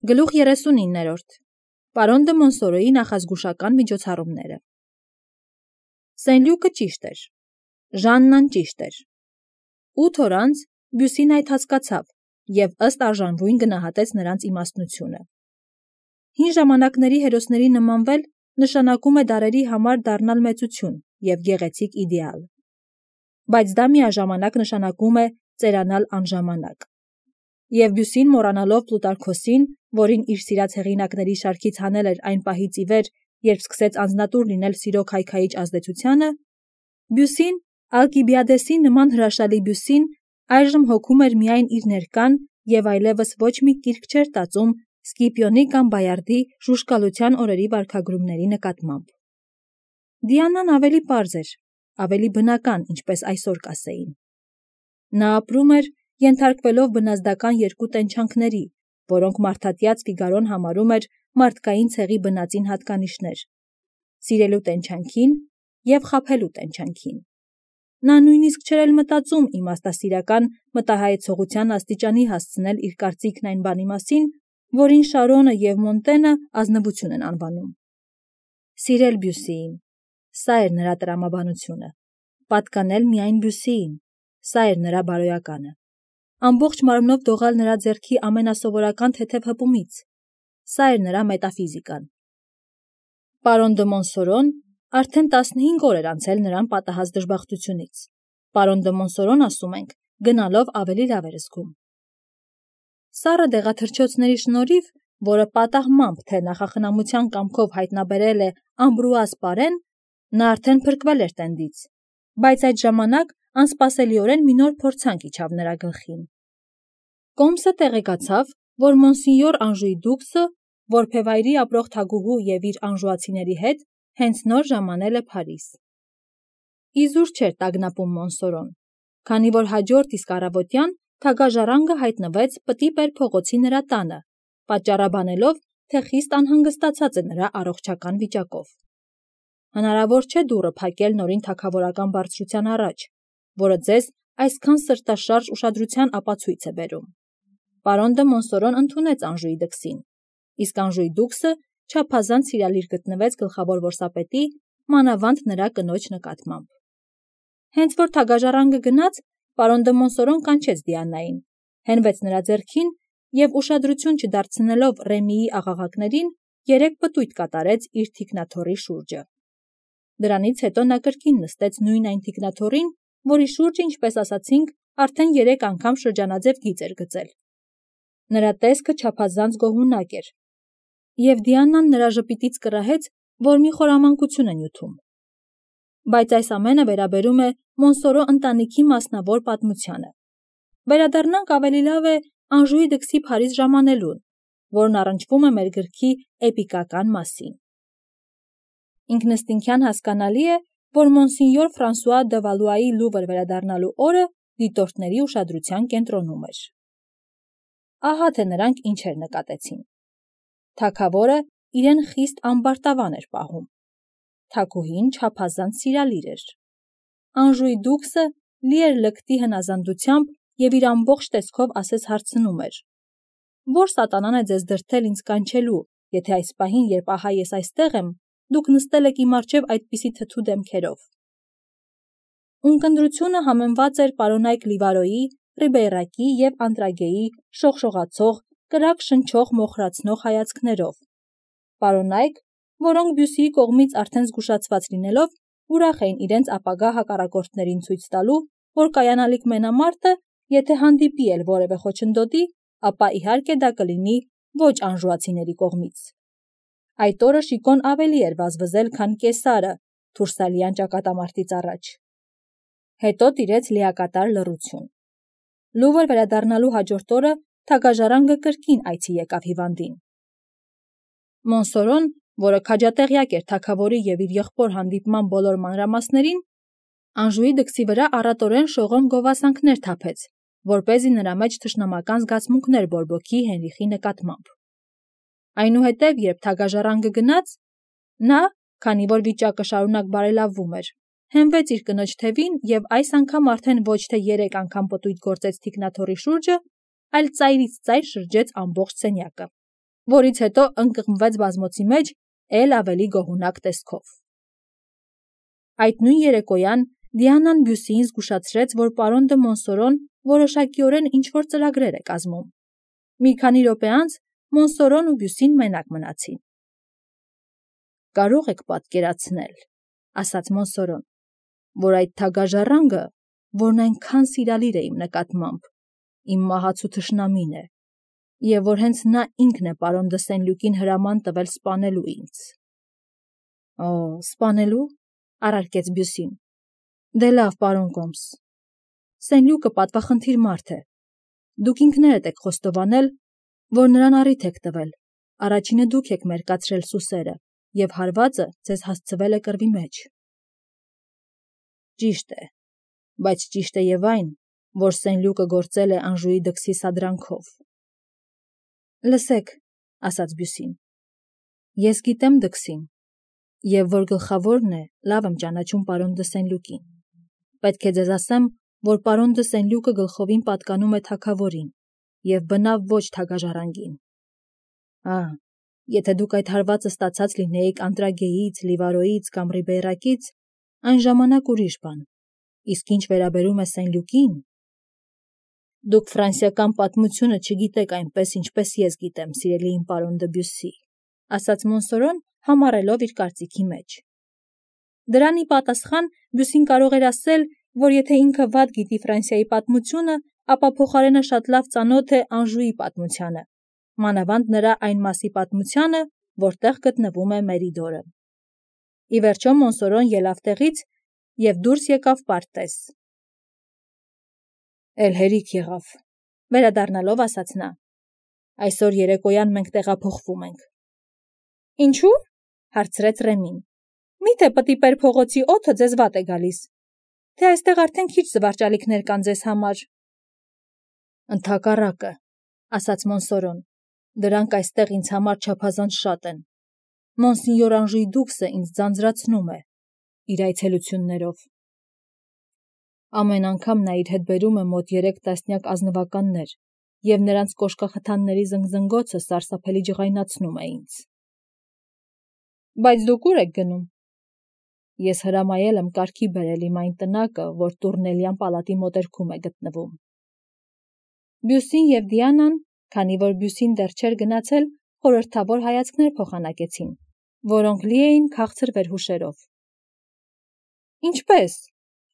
Գլուխ 39-րդ Պարոն դը Մոնսորոյի նախազգուշական միջոցառումները Սեն-Լյուկը ճիշտ էր, Ժաննան ճիշտ էր։ 8 օր անց Բյուսին այդ հասկացավ և ըստ արժանվույն գնահատեց նրանց իմաստնությունը։ Հին ժամանակների հերոսների նմանվել նշանակում է դարերի համար դառնալ մեծություն և գեղեցիկ իդեալ։ Բայց դա միաժամանակ նշանակում է ծերանալ անժամանակ։ Եվ Բյուսին մոռանալով Պլուտարքոսին, որին իր սիրած հեղինակների շարքից հանել էր այն պահից ի վեր, երբ սկսեց անձնատուր լինել սիրո քայքայիչ ազդեցությանը, Բյուսին, Ալկիբիադեսի նման հրաշալի Բյուսին, այժմ հոգում էր միայն իր ներկան և այլևս ոչ մի կիրք չէր տածում Սկիպիոնի կամ Բայարդի ժուժկալության օրերի վարքագրումների նկատմամբ։ Դիանան ավելի պարզ էր, ավելի բնական, ինչպես այսօր կասեին։ Նա ապրում էր, ենթարկվելով բնազդական երկու տենչանքների, որոնք մարդատյաց Ֆիգարոն համարում էր մարդկային ցեղի բնածին հատկանիշներ՝ սիրելու տենչանքին և խաբելու տենչանքին։ Նա նույնիսկ չէր էլ մտածում իմաստասիրական մտահայեցողության աստիճանի հասցնել իր կարծիքն այն բանի մասին, որին Շարոնը և Մոնտենը ազնվություն են անվանում։ Սիրել Բյուսիին, սա էր նրա տրամաբանությունը, պատկանել միայն Բյուսիին, սա էր նրա բարոյականը, ամբողջ մարմնով դողալ նրա ձեռքի ամենասովորական թեթև հպումից, սա էր նրա մետաֆիզիկան։ Պարոն դը Մոնսորոն արդեն 15 օր էր անցել նրան պատահած դժբախտությունից։ Պարոն դը Մոնսորոն, ասում ենք, գնալով ավելի լավ էր զգում։ Սառը դեղաթրջոցների շնորհիվ, որը պատահմամբ թե նախախնամության կամքով հայտնաբերել է Ամբրուազ Պարեն, նա արդեն փրկվել էր տենդից, բայց այդ ժամանակ անսպասելիորեն մի նոր փորձանք իջավ նրա գլխին։ Կոմսը տեղեկացավ, որ Մոնսինյոր Անժուի դուքսը, որբևայրի ապրող թագուհու և իր անժուացիների հետ, հենց նոր ժամանել է Փարիզ։ Իզուր չէր տագնապում Մոնսորոն, քանի որ հաջորդ իսկ առավոտյան թագաժառանգը հայտնվեց Պտիպեր փողոցի նրա տանը, պատճառաբանելով, թե խիստ անհանգստացած է նրա առողջական վիճակով։ Հնարավոր չէ դուռը փակել նորին թագավորական բարձրության առաջ, որը ձեզ այսքան սրտաշարժ ուշադրության ապացույց է բերում։ Պարոն դը Մոնսորոն ընդունեց Անժուի դքսին, իսկ Անժուի դուքսը չափազանց սիրալիր գտնվեց գլխավոր որսապետի, մանավանդ նրա կնոջ նկատմամբ։ Հենց որ թագաժառանգը գնաց, պարոն դը Մոնսորոն կանչեց Դիանային, հենվեց նրա ձեռքին և ուշադրություն չդարձնելով Ռեմիի աղաղակներին, 3 պտույտ կատարեց իր թիկնաթոռի շուրջը։ Դրանից հետո նա կրկին նստեց նույն այն թիկնաթոռին, որի շուրջը, ինչպես ասացինք, արդեն 3 անգամ շրջանաձև գիծ էր գծել։ Նրա տեսքը չափազանց գոհունակ էր, և Դիանան նրա ժպիտից կռահեց, որ մի խորամանկություն է նյութում։ Բայց այս ամենը վերաբերում է Մոնսորո ընտանիքի մասնավոր պատմությանը։ Վերադառնանք ավելի լավ է Անժուի դքսի Փարիզ ժամանելուն, որն առնչվում է մեր գրքի էպիկական մասին։ Ինքնըստինքյան հասկանալի է, որ Մոնսինյոր Ֆրանսուଆ դը Վալուայի Լուվր վերադառնալու օրը դիտորդների ուշադրության կենտրոնում էր։ Ահա թե նրանք ինչեր նկատեցին։ Թագավորը իրեն խիստ ամբարտավան էր պահում։ Թագուհին չափազանց սիրալիր էր։ Անժուի դուքսը լի էր լկտի հնազանդությամբ և իր ամբողջ տեսքով ասես հարցնում էր. «Ո՞ր սատանան է ձեզ դրդել ինձ կանչելու, եթե այս պահին, երբ ահա ես այստեղ եմ, դուք նստել եք իմ առջև այդպիսի թթու դեմքերով»։ Ունկնդրությունը համեմված էր պարոնայք Լիվարոյի, Ռիբեյրակի և Անտրագեի շողշողացող, կրակ շնչող մոխրացնող հայացքներով։ Պարոնայք, որոնք Բյուսիի կողմից արդեն զգուշացված լինելով, ուրախ էին իրենց ապագա հակառակորդներին ցույց տալու, որ կայանալիք մենամարտը, եթե հանդիպի էլ որևէ խոչընդոտի, ապա իհարկե դա կլինի ոչ անժուացիների կողմից։ Այդ օրը Շիկոն ավելի էր վազվզել, քան Կեսարը Թուրսալյան ճակատամարտից առաջ։ Հետո տիրեց լիակատար լռություն։ Լուվր վերադառնալու հաջորդ օրը թագաժառանգը կրկին այցի եկավ հիվանդին։ Մոնսորոն, որը քաջատեղյակ էր թագավորի և իր եղբոր հանդիպման բոլոր մանրամասներին, Անժուի դքսի վրա առատորեն շողոմ գովասանքներ թափեց, որպեսզի նրա մեջ թշնամական զգացմունքներ բորբոքի Հենրիխի նկատմամբ։ Այնուհետև, երբ թագաժառանգը գնաց, նա, քանի որ վիճակը շարունակ բարելավվում էր, հենվեց իր կնոջ թևին և այս անգամ արդեն ոչ թե 3 անգամ պտույտ գործեց թիկնաթոռի շուրջը, այլ ծայրից ծայր շրջեց ամբողջ սենյակը։ որից հետո ընկղմվեց բազմոցի մեջ էլ ավելի գոհունակ տեսքով։ Այդ նույն երեկոյան Դիանան Բյուսիին զգուշացրեց, որ պարոն դը Մոնսորոն որոշակիորեն ինչ-որ ծրագրեր է կազմում։ Մի քանի րոպե անց Մոնսորոն ու Բյուսին մենակ մնացին։ «Կարող եք պատկերացնել, — ասաց Մոնսորոն, — որ այդ թագաժառանգը, որն այնքան սիրալիր է իմ նկատմամբ, իմ մահացու թշնամին է, և որ հենց նա ինքն է պարոն դը Սենլյուկին հրաման տվել սպանելու ինձ»։ «Օ, սպանելու», — առարկեց Բյուսին։ «Դե լավ, պարոն Կոմս, Սենլյուկը պատվախնդիր մարդ է։ Դուք ինքներդ եք խոստովանել, որ նրան առիթ եք տվել, առաջինը դուք եք մերկացրել սուսերը, և հարվածը ձեզ հասցվել է կռվի մեջ»։ «Ճիշտ է, բայց ճիշտ է և այն, որ Սենլյուկը գործել է Անժուի դքսի սադրանքով»։ «Լսեք, — ասաց Բյուսին, — ես գիտեմ դքսին, և որ գլխավորն է, լավ եմ ճանաչում պարոն դը Սենլյուկին։ Պետք է ձեզ ասեմ, որ պարոն դը Սենլյուկը գլխովին պատկանում է թագավորին և բնավ ոչ թագաժառանգին։ Եթե դուք այդ հարվածը ստացած լինեիք Անտրագեից, Լիվարոյից կամ Ռիբեյրակից, այն ժամանակ ուրիշ բան, իսկ ինչ վերաբերում է Սենլյուկին, դուք ֆրանսիական պատմությունը չգիտեք այնպես, ինչպես ես գիտեմ, սիրելի իմ պարոն դը Բյուսի, — ասաց Մոնսորոն, համառելով իր կարծիքի մեջ։ Դրան ի պատասխան Բյուսին կարող էր ասել, որ եթե ինքը վատ գիտի Ֆրանսիայի պատմությունը, ապա փոխարենը շատ լավ ծանոթ է Անժուի պատմությանը, մանավանդ նրա այն մասի պատմությանը, որտեղ գտնվում է Մերիդորը։ Ի վերջո Մոնսորոն ելավ տեղից և դուրս եկավ պարտեզ։ «Էլ հերիք եղավ», — վերադառնալով ասաց նա։ «Այսօր երեկոյան մենք տեղափոխվում ենք»։ «Ինչու՞, — հարցրեց Ռեմին։ «Միթե Պտիպեր փողոցի օդը ձեզ վատ է գալիս, թե այստեղ արդեն քիչ զվարճալիքներ կան ձեզ համար»։ «Ընդհակառակը, — ասաց Մոնսորոն, — դրանք այստեղ ինձ համար չափազանց շատ են։ Մոնսինյոր Անժուի դուքսը ինձ ձանձրացնում է իր այցելություններով։ Ամեն անգամ նա իր հետ բերում է մոտ 3 տասնյակ ազնվականներ, և նրանց կոշկախթանների զնգզնգոցը սարսափելի ջղայնացնում է ինձ»։ «Բայց դուք ուր եք գնում»։ «Ես հրամայել եմ կարգի բերել իմ այն տնակը, որ Տուրնելյան պալատի մոտերքում է գտնվում»։ Բյուսին և Դիանան, քանի որ Բյուսին դեռ չէր գնացել, խորհրդավոր հայացքներ փոխանակեցին, որոնք լի էին քաղցր վերհուշերով։ «Ինչպե՞ս,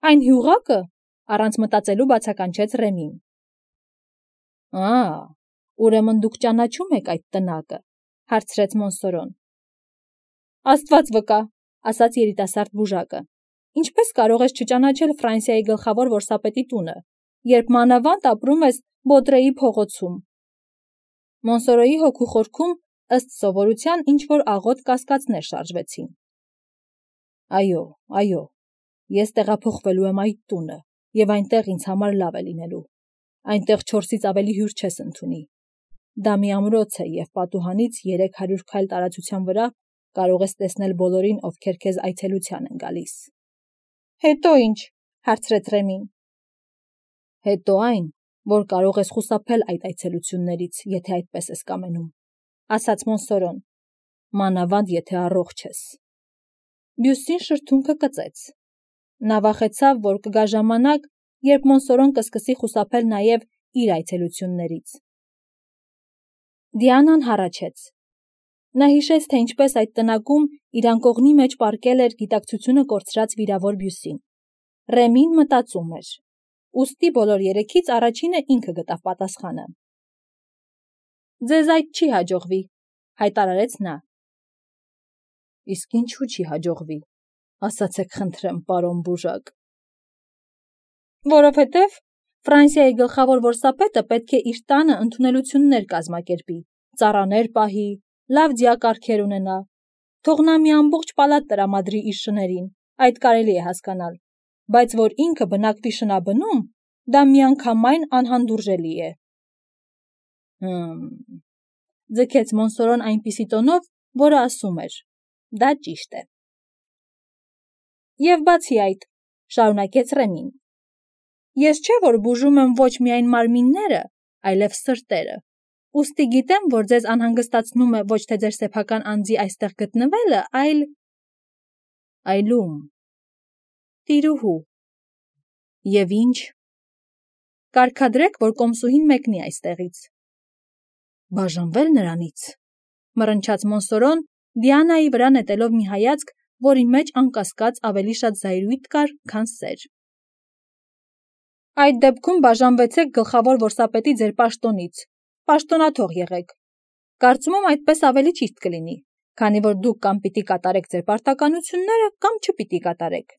այն հյուղակը», — առանց մտածելու բացականչեց Ռեմին։ Ուրեմն դուք ճանաչում եք այդ տնակը, — հարցրեց Մոնսորոն։ «Աստված վկա, — ասաց երիտասարդ բուժակը, — ինչպես կարող ես չճանաչել Ֆրանսիայի գլխավոր որսապետի տունը, երբ մանավանդ ապրում ես Բոտրեի փողոցում»։ Մոնսորոյի հոգու խորքում ըստ սովորության ինչ-որ աղոտ կասկածներ շարժվեցին։ Այո, ես տեղափոխվելու եմ այդ տունը, և այնտեղ ինձ համար լավ է լինելու։ Այնտեղ 4-ից ավելի հյուր չես ընդունի։ Դա մի ամրոց է, և պատուհանից 300 քայլ տարածության վրա կարող ես տեսնել բոլորին, ովքեր քեզ այցելության են գալիս։ «Հետո ինչ», — հարցրեց Ռեմին։ «Հետո այն, որ կարող ես խուսափել այդ այցելություններից, եթե այդպես ես կամենում», — ասաց Մոնսորոն, «մանավանդ եթե առողջ ես»։ Բյուսին շրթունքը կծեց։ Նա վախեցավ, որ կգա ժամանակ, երբ Մոնսորոն կսկսի խուսափել նաև իր այցելություններից։ Դիանան հառաչեց։ Նա հիշեց, թե ինչպես այդ տնակում իր անկողնի մեջ պառկել էր գիտակցությունը կորցրած վիրավոր Բյուսին։ Ռեմին մտածում էր։ Ուստի բոլոր երեքից առաջինը ինքը գտավ պատասխանը։ «Ձեզ այդ չի հաջողվի», — հայտարարեց նա։ «Իսկ ինչու չի հաջողվի, ասացեք խնդրեմ, պարոն բուժակ»։ «Որովհետև Ֆրանսիայի գլխավոր որսապետը պետք է իր տանը ընդունելություններ կազմակերպի, ծառաներ պահի, լավ դիակարգեր ունենա, թող նա մի ամբողջ պալատ տրամադրի իր շներին, այդ կարելի է հասկանալ, բայց որ ինքը բնակվի շնաբնում, դա միանգամայն անհանդուրժելի է»։ Ձգեց Մոնսորոն այնպիսի տոնով, որը ասում էր. «Դա ճիշտ է»։ «Եվ բացի այդ, — շարունակեց Ռեմին, — ես չէ որ բուժում եմ ոչ միայն մարմինները, այլև սրտերը, ուստի գիտեմ, որ ձեզ անհանգստացնում է ոչ թե ձեր սեփական անձի այստեղ գտնվելը, այլում։ Տիրուհու։ Եվ ինչ։ Կարգադրեք, որ կոմսուհին մեկնի այստեղից։ Բաժանվել նրանից, մռնչաց Մոնսորոն, Դիանայի վրա նետելով մի հայացք, որի մեջ անկասկած ավելի շատ զայրույթ կար, քան սեր։ Այդ դեպքում բաժանվեցեք գլխավոր որսապետի ձեր պաշտոնից, պաշտոնաթող եղեք։ Կարծում եմ այդպես ավելի ճիշտ կլինի, քանի որ դուք կամ պիտի կատարեք ձեր պարտականությունները, կամ չպիտի կատարեք։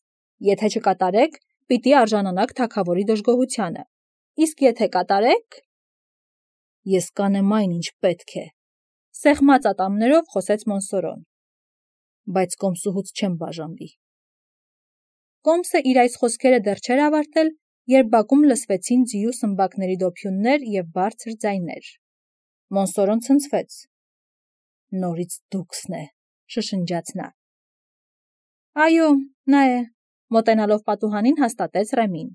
Եթե չկատարեք, պիտի արժանանաք թագավորի դժգոհությանը։ Իսկ եթե կատարեք… Ես կանեմ այն, ինչ պետք է, սեղմած ատամներով խոսեց Մոնսորոն, բայց կոմսուհուց չեմ բաժանվի։ Կոմսը իր այս խոսքերը դեռ չէր ավարտել, երբ բակում լսվեցին ձիու սմբակների դոփյուններ և բարձր ձայներ։ Մոնսորոն ցնցվեց։ Նորից դուքսն է, շշնջաց նա։ Այո, նա է, մոտենալով պատուհանին հաստատեց Ռեմին։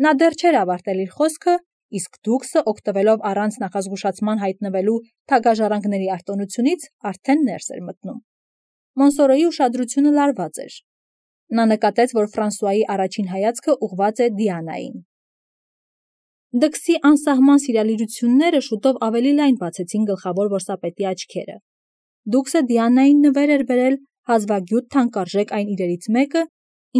Նա դեռ չէր ավարտել իր խոսքը, իսկ դուքսը, օգտվելով առանց նախազգուշացման հայտնվելու թագաժառանգների արտոնությունից, արդեն ներս էր մտնում։ Մոնսորոյի ուշադրությունը լարված էր։ Նա նկատեց, որ Ֆրանսուայի առաջին հայացքը ուղղված է Դիանային։ Դքսի անսահման սիրալիրությունները շուտով ավելի լայն բացեցին գլխավոր որսապետի աչքերը։ Դուքսը Դիանային նվեր էր բերել հազվագյուտ թանկարժեք այն իրերից մեկը,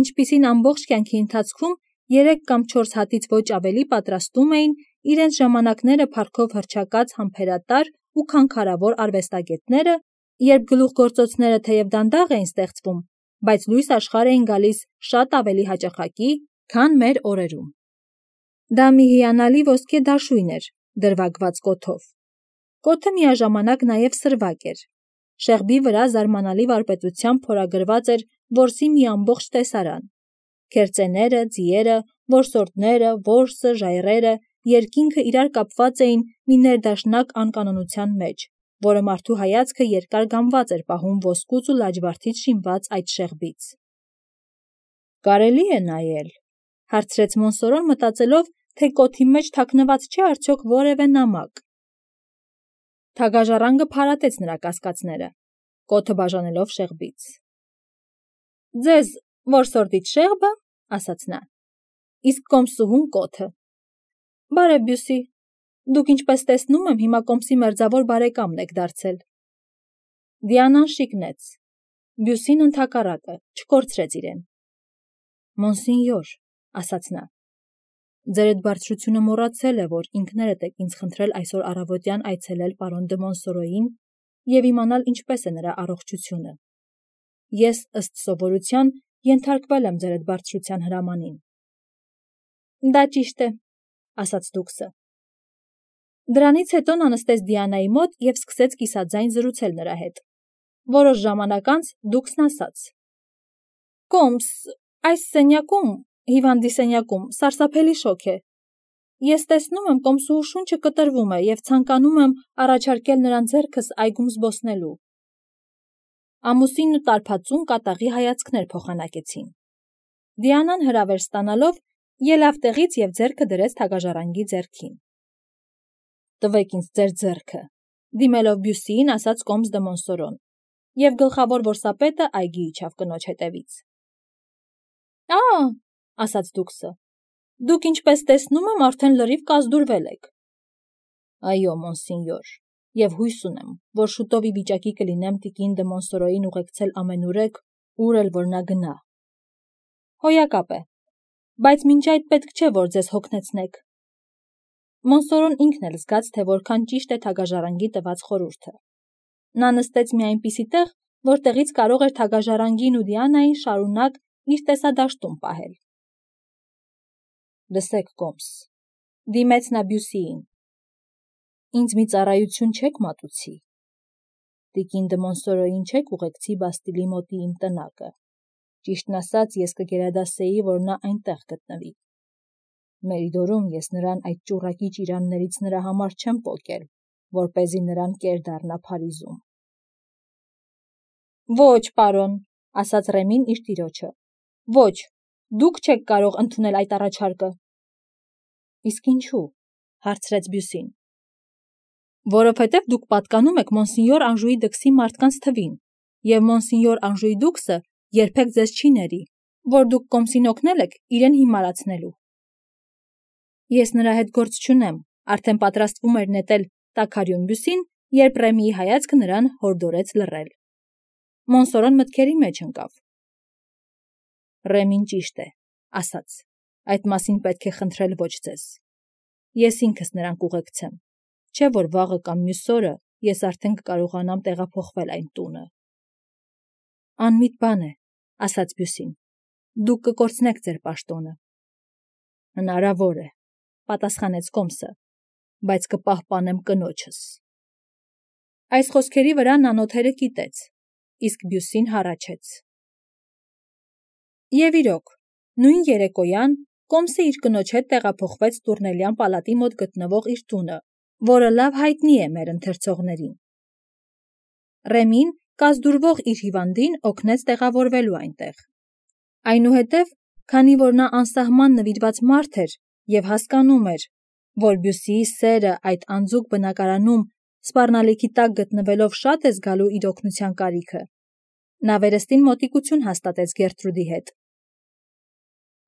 ինչպիսին ամբողջ կյանքի ընթացքում 3 կամ 4 հատից ոչ ավելի պատրաստում էին իրենց ժամանակները փառքով հռչակած համբերատար ու քանքարավոր արվեստագետները, երբ գլուխգործոցները թեև դանդաղ էին ստեղծվում, բայց լույս աշխարհ էին գալիս շատ ավելի հաճախակի, քան մեր օրերում։ Դա մի հիանալի ոսկե դաշույն էր, դրվագված կոթով։ Կոթը միաժամանակ նաև սրվակ էր։ Շեղբի վրա զարմանալի վարպետությամբ փորագրված էր որսի մի ամբողջ տեսարան։ Քերծեները, ձիերը, որսորդները, որսը, ժայռերը, երկինքը իրար կապված էին մի ներդաշնակ անկանոնության մեջ, որը մարդու հայացքը երկար գամված էր պահում ոսկուց ու լաջվարդից շինված այդ շեղբից։ Կարելի է նայել, հարցրեց Մոնսորոն, մտածելով, թե կոթի մեջ թաքնված չէ արդյոք որևէ նամակ։ Թագաժառանգը փարատեց նրա կասկածները, կոթը բաժանելով շեղբից։ Ձեզ որսորդից շեղբը, ասաց նա, իսկ կոմսուհուն կոթը։ Բարև Բյուսի, դուք ինչպես տեսնում եմ, հիմա կոմսի մերձավոր բարեկամն եք դարձել։ Դիանան շիկնեց։ Բյուսին ընդհակառակը, չկորցրեց իրեն։ Մոնսինյոր, ասաց նա, ձեր այդ բարձրությունը մոռացել է, որ ինքներդ եք ինձ խնդրել այսօր առավոտյան այցելել պարոն դը Մոնսորոյին և իմանալ ինչպես է նրա առողջությունը։ Ես, ըստ սովորության, ենթարկվել եմ ձեր այդ բարձրության հրամանին։ Դա ճիշտ է, ասաց դուքսը։ Դրանից հետո նա նստեց Դիանայի մոտ և սկսեց կիսաձայն զրուցել նրա հետ։ Որոշ ժամանակ անց դուքսն ասաց. Կոմս, այս սենյակում, հիվանդի սենյակում, սարսափելի շոգ է։ Ես տեսնում եմ կոմսուհու շունչը կտրվում է և ցանկանում եմ առաջարկել նրան ձեռքս այգում զբոսնելու։ Ամուսինն ու տարբածուն կատաղի հայացքներ փոխանակեցին։ Դիանան հրավեր ստանալով ելավ տեղից և ձեռքը դրեց թագաժառանգի ձեռքին։ Տվեք ինձ ձեր ձեռքը, դիմելով Բյուսիին, ասաց կոմս դը Մոնսորոն, և գլխավոր որսապետը այգի իջավ կնոջ հետևից։ Ասաց դուքսը, դուք ինչպես տեսնում եմ, արդեն լրիվ կազդուրվել եք։ Այո, մոնսինյոր, և հույս ունեմ, որ շուտով ի վիճակի կլինեմ տիկին դը Մոնսորոյին ուղեկցել ամենուրեք, ուր էլ որ նա գնա։ Հոյակապ է, բայց մինչ այդ պետք չէ, որ ձեզ հոգնեցնեք։ Մոնսորոն ինքն էլ զգաց, թե որքան ճիշտ է թագաժառանգի տված խորհուրդը։ Նա նստեց մի այնպիսի տեղ, որտեղից կարող էր թագաժառանգին ու Դիանային շարունակ իր տեսադաշտում պահել։ Լսեք, կոմս, դիմեց նա Բյուսիին, ինձ մի ծառայություն չեք մատուցի։ Տիկին դը Մոնսորոյին չեք ուղեկցի Բաստիլի մոտի իմ տնակը։ Ճիշտն ասած, ես կգերադասեի, որ նա այնտեղ գտնվի։ Մերիդորում ես նրան այդ ճուռակի ճիրաններից նրա համար չեմ պոկել, որպեսզի նրան կեր դառնա Փարիզում։ Ոչ, պարոն, ասաց Ռեմին իր տիրոջը։ Ոչ, դուք չեք կարող ընդունել այդ առաջարկը։ Իսկ ինչու, հարցրեց Բյուսին։ Որովհետև դուք պատկանում եք մոնսինյոր Անժուի դքսի մարդկանց թվին, և մոնսինյոր Անժուի դուքսը երբեք ձեզ չի ների, որ դուք կոմսին օգնել եք իրեն հիմարացնելու։ Ես նրա հետ գործ չունեմ, արդեն պատրաստվում էր նետել տաքարյուն Բյուսին, երբ Ռեմիի հայացքը նրան հորդորեց լռել։ Մոնսորոն մտքերի մեջ ընկավ։ Ռեմին ճիշտ է, ասաց, այդ մասին պետք է խնդրել ոչ ձեզ։ Ես ինքս նրան կուղեկցեմ, չէ որ վաղը կամ մյուս օրը ես արդեն կկարողանամ տեղափոխվել այն տունը։ Անմիտ բան է, ասաց Բյուսին, դուք կկորցնեք ձեր պաշտոնը։ Հնարավոր է, պատասխանեց Կոմսը, բայց կպահպանեմ կնոջս։ Այս խոսքերի վրա նա նոթերը կիտեց, իսկ Բյուսին հառաչեց։ Եվ իրոք, նույն երեկոյան Կոմսը իր կնոջ հետ տեղափոխվեց Տուրնելյան պալատի մոտ գտնվող իր տունը, որը լավ հայտնի է մեր ընթերցողներին։ Ռեմին կազդուրվող իր հիվանդին օգնեց տեղավորվելու այնտեղ։ Այնուհետև, քանի որ նա անսահման նվիրված մարդ էր և հասկանում էր, որ Բյուսիի սերը այդ անձուկ բնակարանում սպառնալիքի տակ գտնվելով շատ է զգալու իր օգնության կարիքը, նա վերստին մոտիկություն հաստատեց Գերտրուդի հետ։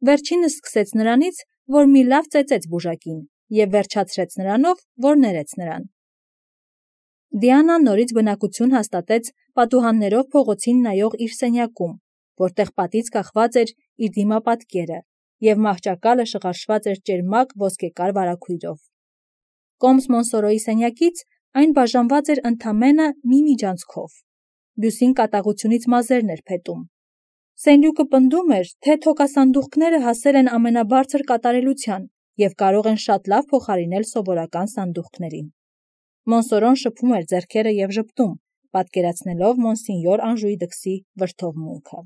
Վերջինս սկսեց նրանից, որ մի լավ ծեծեց բուժակին և վերջացրեց նրանով, որ ներեց նրան։ Դիանան նորից բնակություն հաստատեց պատուհաններով փողոցին նայող իր սենյակում, որտեղ պատից կախված էր իր դիմապատկերը և մահճակալը շղարշված էր ճերմակ ոսկեկար վարագույրով։ Կոմս Մոնսորոյի սենյակից այն բաժանված էր ընդամենը մի միջանցքով։ Բյուսին կատաղությունից մազերն էր փետում։ Սենյակը պնդում էր, թե թոքասանդուղքները հասել են ամենաբարձր կատարելության և կարող են շատ լավ փոխարինել սովորական սանդուղքներին։ Մոնսորոն շփում էր ձեռքերը և ժպտում, պատկերացնելով մոնսինյոր Անժուի դքսի վրդովմունքը։